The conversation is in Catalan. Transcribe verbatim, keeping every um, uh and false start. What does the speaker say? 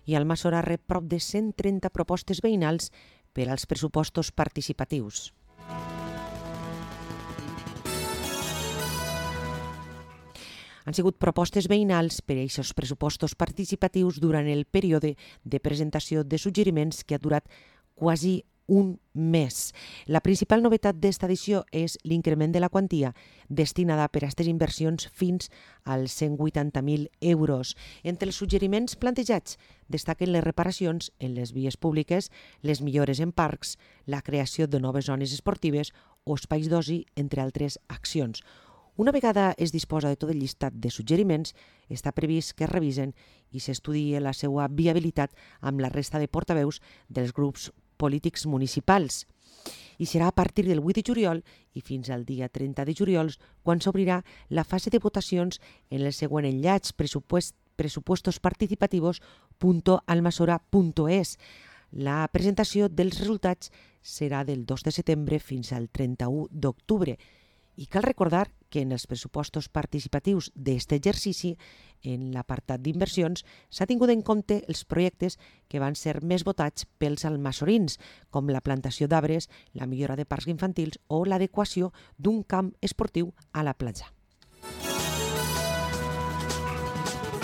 i Almassora rep prop de cent trenta propostes veïnals per als pressupostos participatius. Han sigut propostes veïnals per a aquests pressupostos participatius durant el període de presentació de suggeriments que ha durat quasi un mes. La principal novetat d'esta edició és l'increment de la quantia destinada per a aquestes inversions fins als cent vuitanta mil euros. Entre els suggeriments plantejats destaquen les reparacions en les vies públiques, les millores en parcs, la creació de noves zones esportives o espais d'oci, entre altres accions. Una vegada es disposa de tot el llistat de suggeriments, està previst que es revisen i s'estudie la seva viabilitat amb la resta de portaveus dels grups polítics municipals. I serà a partir del vuit de juliol i fins al dia trenta de juliol quan s'obrirà la fase de votacions en el següent enllaç pressupost, pressupuestosparticipativos punto almasora punto es. La presentació dels resultats serà del dos de setembre fins al trenta-u d'octubre. I cal recordar que en els pressupostos participatius d'aquest exercici, en l'apartat d'inversions, s'ha tingut en compte els projectes que van ser més votats pels almassorins, com la plantació d'arbres, la millora de parcs infantils o l'adequació d'un camp esportiu a la platja.